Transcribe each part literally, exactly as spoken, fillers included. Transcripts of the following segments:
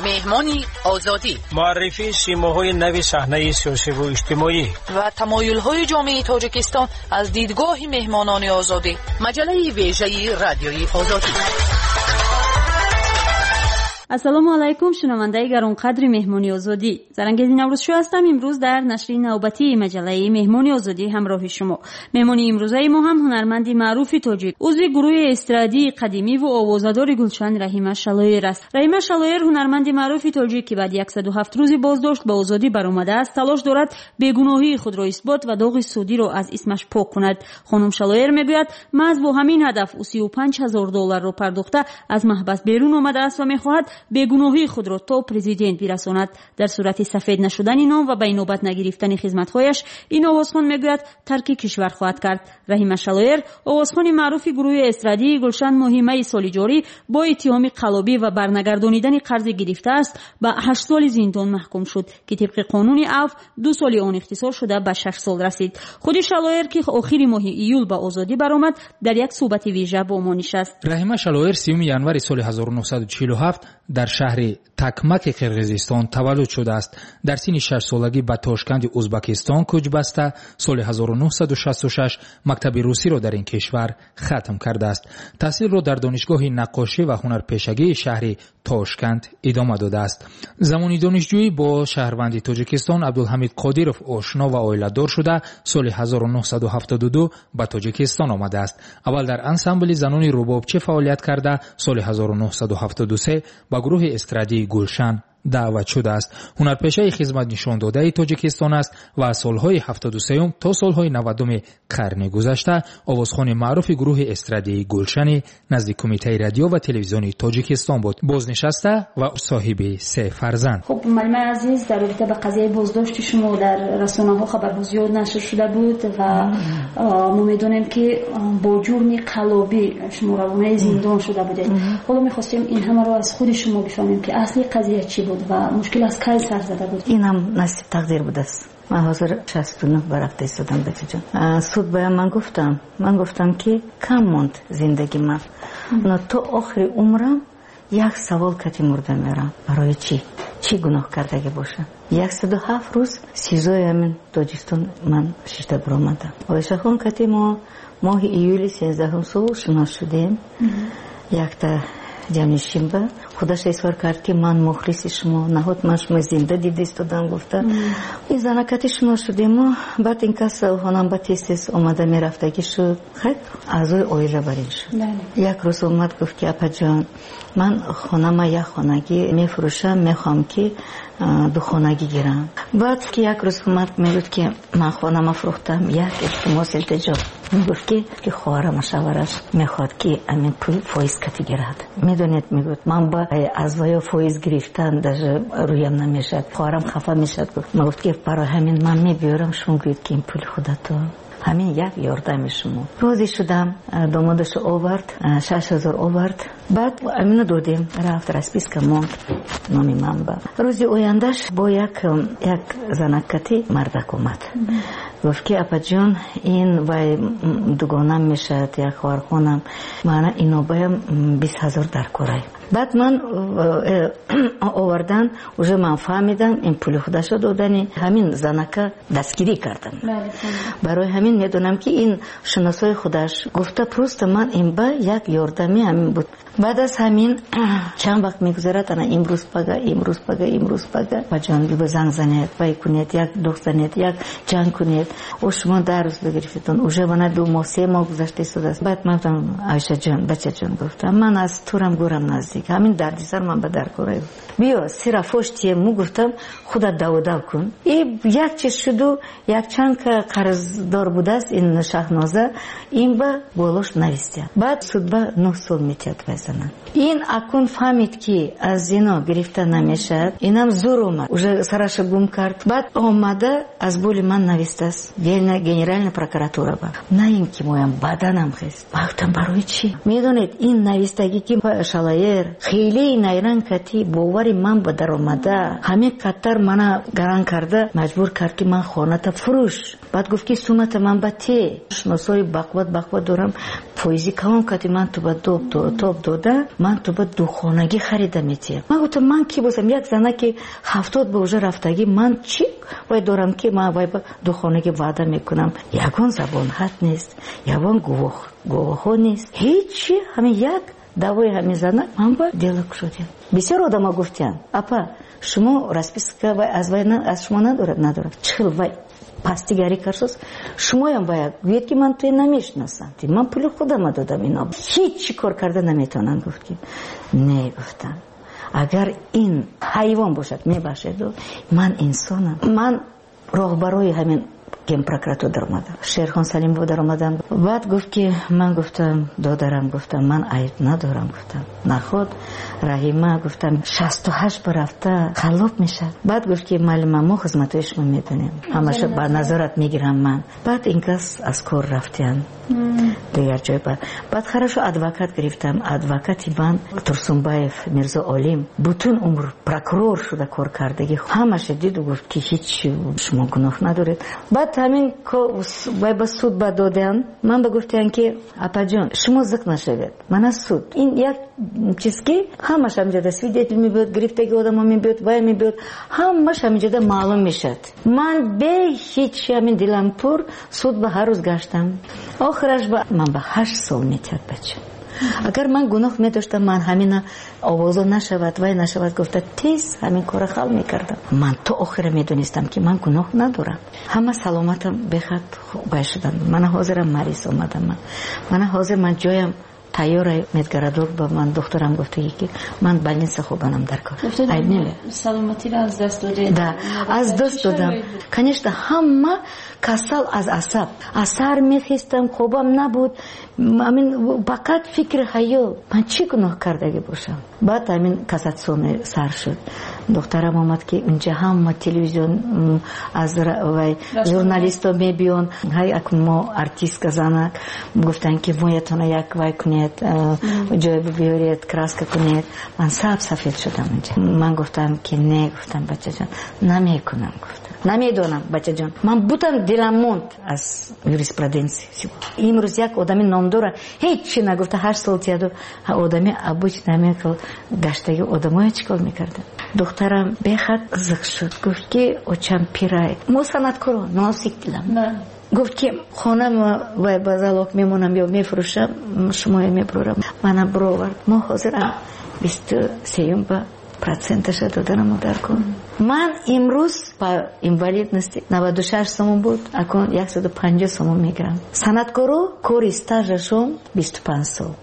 Меҳмони Озодӣ. Муаррифии симоҳои нави саҳнаи сиёсиву иҷтимоӣ ва тамоюлҳои ҷомеаи Тоҷикистон аз дидгоҳи меҳмонони Озодӣ. Маҷаллаи вежаи Радиои Озодӣ. Ассалому алайкум, шунавандаи гаронқадри Меҳмони Озодӣ. Зарангези Наврӯзшоҳ ҳастам. Имрӯз дар нашри навбатии маҷаллаи Меҳмони Озодӣ ҳамроҳи шумо. Меҳмони имрӯзаи мо ҳам ҳунарманди маъруфи тоҷик, узви гурӯҳи эстрадии қадимӣ ва овозадори Гулшан Раҳима Шалоир аст. Раҳима Шалоир, ҳунарманди маъруфи тоҷик, ки баъди яксаду ҳафт рӯзи боздошт ба озодӣ баромадааст, талош дорад бегуноҳии худро исбот ва доғи судиро аз исмаш пок кунад. Хонум Шалоир мегӯяд, маҳз бо ҳамин ҳадаф ӯ сию панҷ ҳазор долларро пардохта аз маҳбас берун омадааст ва мехоҳад бегуноҳии худро то президент бирасонад. Дар сурати сафед нашудани ном ва ба инобат нагирифтани хизматҳояш, ин овозхон мегӯяд, тарки кишвар хоҳад кард. Раҳима Шалоир, овозхони маъруфи гурӯҳи эстрадии Гулшан, моҳи майи соли ҷорӣ бо иттиҳоми қаллобӣ ва барнагардонидани қарзе гирифтааст ба ҳашт соли зиндон маҳкум шуд, ки тибқи қонуни афв ду соли он ихтисор шуда ба шаш сол расид. Худи Шалоир, ки охири моҳи июл ба озодӣ баромад, дар як суҳбати вижа бо мо нишаст. Раҳима Шалоир сиюми январи соли ҳазору нӯҳсаду чилу ҳафт дар шаҳри Такмаки Қирғизистон таваллуд шудааст. Дар синни шашсолагӣ ба Тошканди Узбакистон кӯч баста, соли ҳазору нӯҳсаду шасту шаш мактаби русиро дар ин кишвар хатм кардааст. Таҳсилро дар донишгоҳи наққошӣ ва ҳунарпешагии шаҳри Тошканд идома додааст. Замони донишҷӯӣ бо шаҳрванди Тоҷикистон Абдулҳамид Қодиров ошно ва оиладор шуда, соли ҳазору нӯҳсаду ҳафтоду ду ба Тоҷикистон омадааст. Аввал дар ансамбли занони рубобчӣ фаъолият карда, соли ҳазору нӯҳсаду ҳафтоду се ба гурӯҳи эстрадии Гулшан даъват шудааст. Ҳунарпешаи хизматнишондодаи Тоҷикистон аст ва аз солҳои ҳафтоду сеюм то солҳои навадуми қарни гузашта овозхони маъруфи гурӯҳи эстрадии Гулшани назди Кумитаи радио ва телевизиони Тоҷикистон буд. Бознишаста ва соҳиби се фарзанд. Хуб, муаллимаи азиз, дар робита ба қазияи боздошти шумо дар расонаҳо хабарҳо зиёд нашр шуда буд ва мо медонем, ки бо ҷурми қаллобӣ шумо равонаи зиндон шуда будед. Ҳоло мехостем ин ҳамаро аз худи шумо бифаҳмем, ки асли қазия чӣ буд ва мушкил аз кай сар зада буд? Инам насиб тақдир будааст. Ман ҳозир шасту нӯҳ ба рафта истодам, бачаҷон. Суд бая ман гуфтам, ман гуфтам, ки кам монд зиндагӣ ман, но то охири умрам як савол кати мурда мерам: барои чӣ, чӣ гуноҳ кардагӣ бошам? Яксаду ҳафт рӯз СИЗОи ҳамин Тоҷикистон ман шишта баромадам. Оишахон кати мо моҳи июли сенздаҳум сол шинос шудем. Якта ҷамнишинба худаш изҳор кард, ки ман мухлиси шумо, наҳот ман шумо зинда дида истодам, гуфта. Ин занакати шинос шудему баъд ин кас хонамба тез тез омада мерафтагӣ шуд. Хайр, аъзои оила бар ин шуд. Як рӯз омад, гуфт, ки апаҷон, ман хонама як хонагӣ мефурӯшам, мехоҳам, ки духонагӣ гирам. Баъд ки як рӯз омад, мегӯфт, ки ман хонама фурӯхтам, як илтимос, илтиҷо. Мегуфт, ки ки хоҳарама шавараш мехоҳад, ки амин пул фоиз кати гирад. Медонед, мегӯфт, ман ба аз ваё фоиз гирифтан даже рӯям намешавад, хоҳарам хафа мешавад, гуфт. Ман гуфт, ки барои ҳамин ман мебиёрам, шумо гӯед, ки ин пули худатон, ҳамин як ёрдами шумо. Розӣ шудам, домодашо овард, шаш ҳазор овард. Баъд амина додем, рафт, расписка монд номи ман ба. Рӯзи ояндаш бо як як занаккати мардак омад, гуфт, ки апаҷон, ин вай дугонам мешавад, як хоҳархонам, маъна инобаям бист ҳазор дар корай. Баъд ман э, овардан, уже ман фаҳмидам, ин пули худашо додани ҳамин занака дастгирӣ кардам. Барои ҳамин медонам, ки ин шиносои худаш гуфта, просто ман ин ба як ёрдами ҳамин буд. Баъд аз ҳамин чанд вақт мегузарад, ана имрӯз пага, имрӯз пага, имрӯз пага, апаҷон, биба занг занед, вай кунед, як дух занед, як ҷанг кунед, о шумо даҳ рӯз бигирифтетон, уже мана ду моҳ, се моҳ гузашта истодааст. Баъд ман гуфтам: айшаҷон, бачаҷон, гуфтам, ман аз турам гӯрам наздик, ҳамин дардисар ман ба даркора, биё сира фош тиему, гуфтам, худат даводав кун. И як чиз шуду, якчанд қарздор будааст ин Шаҳноза, ин ба болош навистия. Баъд судба нӯҳ сол метиҳад вай зана. Ин акун фаҳмид, ки аз зино гирифта намешавад, инам зур омад, уже сараша гум кард. Баъд омада аз боли ман навистааст. хес, генеральная прокуратура ба. На ин ки моям баданам хес. Гуфтам барои чӣ? Медонед, ин навистагӣ ки Шалаер хеле найранг кати бовари ман ба даромада, ҳамин қаддар мана гаран карда маҷбур кард ки ман хоната фурӯш. Баъд гуфт ки сумата ман ба те. Шиносои бақват бақват дорам, фоизи калон кати ман ту ба тоб дода, ман ту ба духонагӣ харида метиҳам. Ман гуфтам ман ки бошам, як зана ки ҳафтод ба уже рафтагӣ, ман чӣ вай дорам ки ман вай ба духонагӣ ваъда мекунам? Ягон забонҳат нест, ягон гувоҳ гувоҳҳо нест, ҳечи. Ҳамин як давои ҳамин зана ман ба дело кушодем. Бисёр одамо гуфтиянд, апа шумо расписка вай аз вай аз шумо надорад, надорад. Чӣ хел вай пастигарӣ карсоз, шумоям бояд гӯед ки ман туя намешиносам, ман пули худама додам, ино ҳеҷ чӣ кор карда наметавонанд. Гуфт ки не, гуфтам агар ин ҳайвон бошад мебахшед, ман инсонам. Ман роҳбарои ҳамин генпрокуратура даромадам, Шерхон Салимов даромадам. Баъд гуфт ки ман гуфтам додарам, гуфтам ман айб надорам, гуфтам наход Раҳима, гуфтам шасту ҳашт ба рафта халоб мешавад. Баъд гуфт ки маълима мо хизматҳои шумо медонем, ҳамаша ба назорат мегирам ман. Баъд ин кас аз кор рафтиян дигар ҷой. Баъд баъд хорошо адвокат гирифтам. Адвокати ман Турсунбаев Мирзо Олим, бутун умр прокурор шуда кор кардагӣ, ҳамаша диду гуфт ки ҳеҷ шумо гуноҳ надоред. Баъд ҳамин вай ба суд ба доданд. Ман ба гуфтиян ки апаҷон шумо зиқ нашавед, мана суд ин як чиз ки ҳамаш ҳаминҷода свидетель мебиёд, гирифтаги одамо мебиёд, вай мебиёд, ҳамаш ҳаминҷода маълум мешавад. Ман бе ҳеҷ ҳамин дилам пур суд ба ҳар рӯз гаштам. Охираш ба ман ба ҳашт сол метиҳад бача. Агар ман гуноҳ медоштам, ман ҳамина овозо нашавад, вай нашавад гуфта тез ҳамин кора ҳал мекардам. Ман то охира медонистам ки ман гуноҳ надорам. Ҳама саломатам бехад вай шудам. Мана ҳозирам мариз омадам. Мана ҳозир ман ҷоям тайёра медгородок ба ман духтарам гуфтаги ки ман больница хобанам дар кор. Айб не? Саломатиро аз даст додед? Да, аз даст додам. Конечно, ҳама касал аз асаб. Аз сар мехестам, хобам набуд. Амин фақат фикри хаёл. Ман чӣ гуноҳ кардагӣ бошам? Баъд ҳамин кассатсионный сар шуд. Духтарам омад ки унҷа ҳама телевизион аз вай журналисто мебиён. Ҳай акун мо артистка занак гуфтанд ки моятона як вай кунед, ҷой биёред, краска кунед. Ман саб сафед шудам унҷа. Ман гуфтам ки не, гуфтам бачаҷон, намекунам, гуфтам. Намедонам бачаҷон. Ман бутам дилам монд аз юриспруденсия. Имрӯз як одами номдора ҳеҷ чи нагуфта ҳашт сол тияду одами обычно ҳамин хел гаштаги одамоя чӣ кор мекарданд. Духтарам бехад зиқ шуд, гуфт ки очам пирай, мо санъаткоро носик дилам. Гуфт ки хонам вай ба залог мемонам ё мефурӯшам, шумоя мебурам. Мана бировард. Мо ҳозирам бисту сеюм ба проценташа доданам дар кор. Ман имрӯз ба инвалидности наваду шаш сомон буд, акун яксаду панҷоҳ сомон мегирам. Санъаткоро кори стажашон бисту панҷ сол,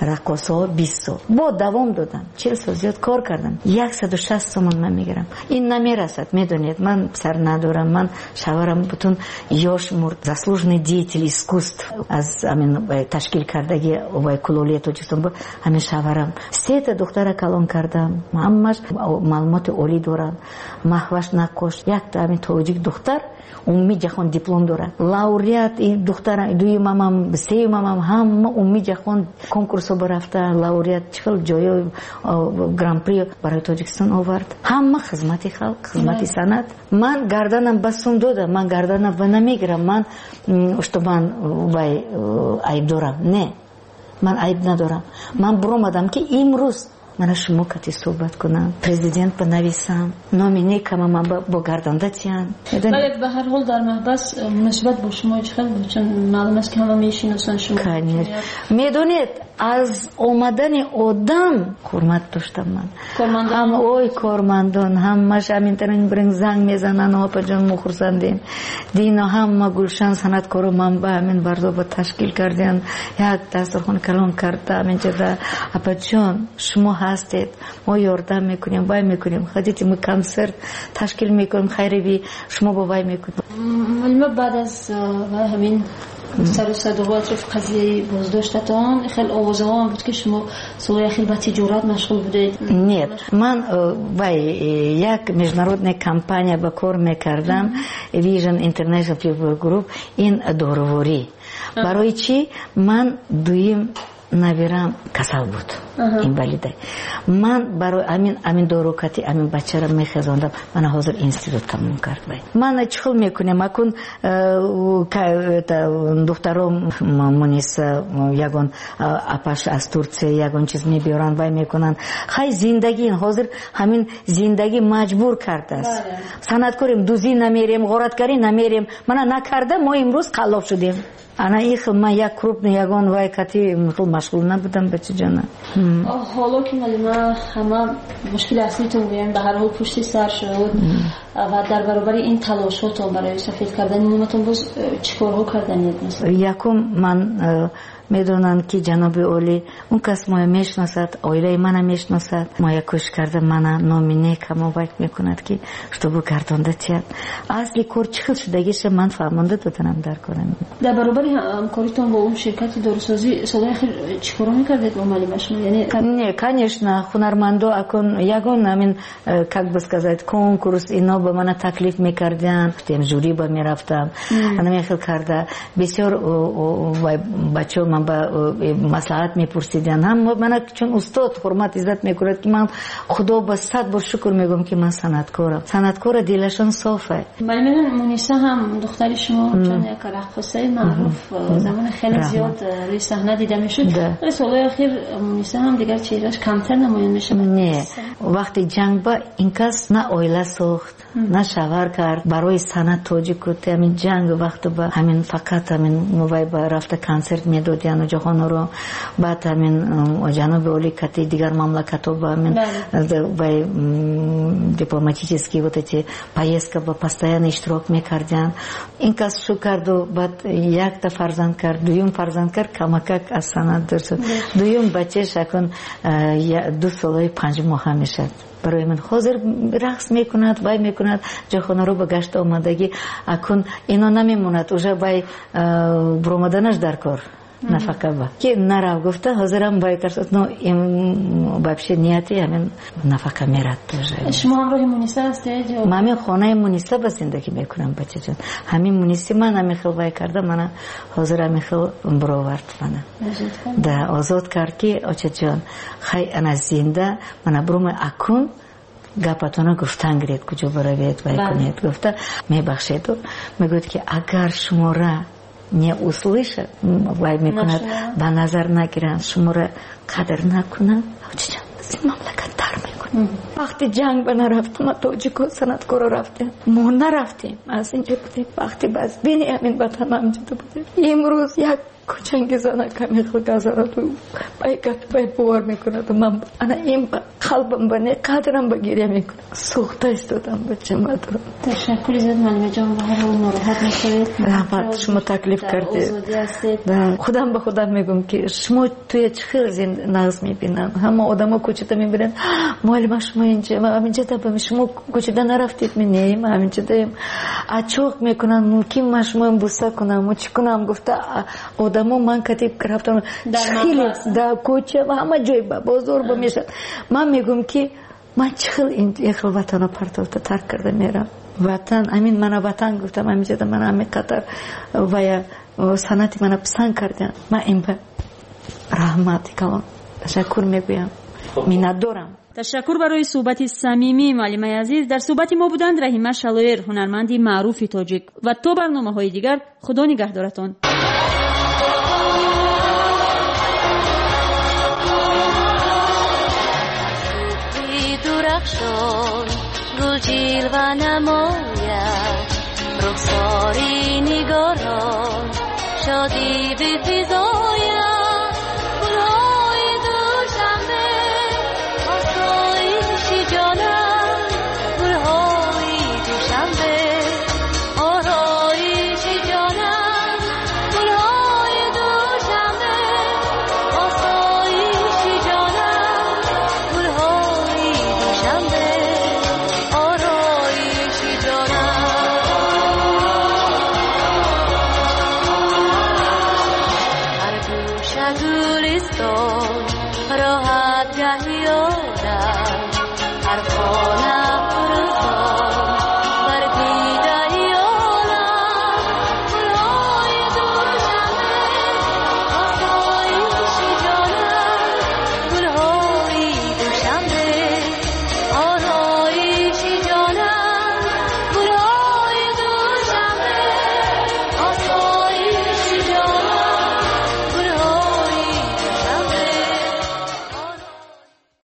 раққосҳо бист сол. Бо давом додам, чил сол зиёд кор кардам. Яксаду шаст сомон ман мегирам. Ин намерасад, медонед, ман сар надорам, ман шаварам бутун ёш мурд, заслуженный деятель искусств аз ҳамин ташкил кардаги вай кулолии Тоҷикистон буд, ҳамин шаварам. Сета духтара калон кардам, ҳамаш маълумоти олӣ доранд. Маҳваш наққош, якта ҳамин тоҷик духтар умумии ҷаҳон диплом дорад. Лауреат ин духтара дуюмамам, сеюмамам ҳама умумии ҷаҳон конкурсҳо барафта, лауреат чӣ хел ҷойҳо гран-при барои Тоҷикистон овард. Ҳама хизмати халқ, хизмати санъат. Ман гарданам ба сум додам, ман гарданам ба намегирам, ман что ман вай айб дорам. Не, ман айб надорам. Ман буромадам ки имрӯз мана шумо кати суҳбат кунам, президент ба нависам, номи некама ман бо гарданда тиям. Бале, ба ҳар ҳол дар маҳбас муносибат бо шумо чӣ хел буд? Чун маълум аст ки ҳама мешиносанд шумо. Конечно. Медонед, аз омадани одам ҳурмат доштам ман. Кормандон? Ой, кормандон, ҳамаш ҳаминтарин бирин занг мезананд, опаҷон мо хурсандем. Дино ҳама гулшан санъаткоро ман ба ҳамин бардоба ташкил кардем, як дастархон калон карда ҳаминҷода. Апаҷон, шумо ҳастед, мо ёрдам мекунем, вай мекунем, хотите мы концерт ташкил мекунем, хайриви, шумо бо вай мекунем. Малима, баъд аз ҳамин Сару садоҳо атрофи қазияи боздоштатон хеле овозаҳо ҳам буд, ки шумо солҳои ахир ба тиҷорат машғул будед. Нет, ман вай як международная компания ба кор мекардам, Vision International People Group, ин дороворӣ. Барои чӣ ман дуюм набирам касал буд, инвалида. Ман барои амин амин дорукати амин бачара мехезондам. Мана ҳозир институт тамом кард. Ман чӣ хел мекунем? Акун духтаром Муниса ягон апаш аз Турция ягон чиз мебиёранд, вай мекунанд. Хай зиндагӣ ҳозир ҳамин зиндагӣ маҷбур кардааст. Санъаткорем, дузӣ намерем, ғораткарӣ намерем. Мана накарда мо имрӯз қаллоб шудем. Ана их ман як крупный ягон вай кати хел машғул набудам, бачаҷона. Ҳоло ки малима ҳама мушкили аслитон гӯям ба ҳар ҳол пушти сар шуд ва дар баробари ин талошҳотон барои сафед кардани номатон боз чӣ корҳо карданед? Якум ман медонам ки ҷаноби олӣ он кас моя мешиносад, оилаи мана мешиносад, моя кӯшиш карда мана номи нек ҳамо вай мекунад ки чтобы гардонда тиҳад. Асли кор чӣ хел шудагиша ман фаҳмонда доданам дар корам. Дар баробари ҳамкоритон бо он ширкати дорусозӣ солҳои ахир чӣ корҳо мекардед бо малима шумо? Яъне не, конечно, ҳунармандо акун ягон ҳамин как бы сказать конкурс ино ба мана таклиф мекардиан, жюри ба мерафтам, ана хел карда бисёр бачаҳо ман ба маслиҳат мепурсиданд. Ҳам мана чун устод ҳурмат иззат мекунад ки ман худо ба сад бор шукр мегӯям ки ман санъаткорам. Санъаткора дилашон софа. Малима Муниса ҳам духтари шумо чун як раққосаи маъруф замони хеле зиёд рӯи саҳна дида мешуд. Вале солҳои ахир Муниса ҳам дигар чеҳраш камтар намоён мешавад. Не, вақти ҷанг ба ин кас на оила сохт, на шавҳар кард. Барои санъат тоҷику ҳамин ҷанг вақту ба ҳамин фақат ҳамин вай ба рафта консерт медод яну ҷаҳонро. Баъд ҳамин ҷаноби олӣ кати дигар мамлакатҳо ба ҳамин вай дипломатические вот эти поездка ба постоянно иштирок мекардиан. Ин кас шу карду баъд якта фарзанд кард, дуюм фарзанд кард, камакак аз санъат дур шуд. Дуюм бачааш акун ду солаи панҷ моҳа мешавад. Барои ман ҳозир рақс мекунад, вай мекунад, ҷаҳонаро ба гашт омадагӣ акун ино намемонад, уже вай буромаданаш дар кор нафақа ба ки нарав гуфта ҳозирам вай кард, но им вообще нияти ҳамин нафақа мерад тоже. Шумо ҳамроҳи Муниса ҳастед? Ман ҳамин хонаи Муниса ба зиндагӣ мекунам, бачаҷон. Ҳамин Муниси ман ҳамин хел вай карда, мана ҳозир ҳамин хел буровард мана. Да, озод кард ки очаҷон, хай ана зинда, мана бурума акун гапатона гуфтан гиред, куҷо баравед, вай кунед гуфта, мебахшеду мегӯяд ки агар шумора не услышат, вай мекунад, ба назар нагиранд, шуморо қадр накунанд, очаҷон, аз ин мамлакат дар мекунад. Вақти ҷанг ба нарафтам, ма тоҷико санъаткоро рафтем, мо нарафтем, аз инҷо будем. Вақти бас бини ҳамин ватан ҳамҷода будем. Имрӯз як кӯчанги занак ҳамин хел газараду бай гап бай бовар мекунад. Ман ана ин ба қалбам ба не қадрам ба гиря мекунам. Сӯхта истодам бачамадро. Ташаккури зиёд малимаҷон, ба ҳар ҳол нороҳат нашавед. Раҳмат, шумо таклиф кардед. Худам ба худам мегӯям ки шумо туя чӣ хел нағз мебинанд. Ҳама одамо кӯчада мебинанд. Муаллима шумо инҷа, ман ҳаминҷа шумо кӯчада нарафтед, ми не, ман ҳаминҷадаем. Ачоқ мекунанд, мумкин ман шумоям буса кунам, чӣ кунам гуфта одамо ман кати рафтам хеле дар кӯча ва ҳама ҷой ба бозор ба мешавад. Ман мегӯям ки ман чӣ хел ин хел ватанро партофта тарк карда мерам. Ватан, ҳамин мана ватан гуфтам, ҳаминҷода мана ҳамин қадар вая санъати мана писанд карданд. Ман ин ба раҳмати калон ташаккур мегӯям, миннатдорам. Ташаккур барои суҳбати самимӣ, муаллимаи азиз. Дар суҳбати мо буданд Раҳима Шалоир, ҳунарманди маъруфи тоҷик. Ва то барномаҳои дигар Худо нигаҳдоратон. Дурахшон гул ҷилва намояд, рухсори нигорон шодӣ бифизояд. Гулҳои Душанбе осоиши ҷонам, гулҳои Душанбе ороиши ҷонам, гулҳои Душанбе осоиши ҷонам, гулҳои Душанбе ороиши ҷонам. Меояд гаҳ ёдам ҳар хона.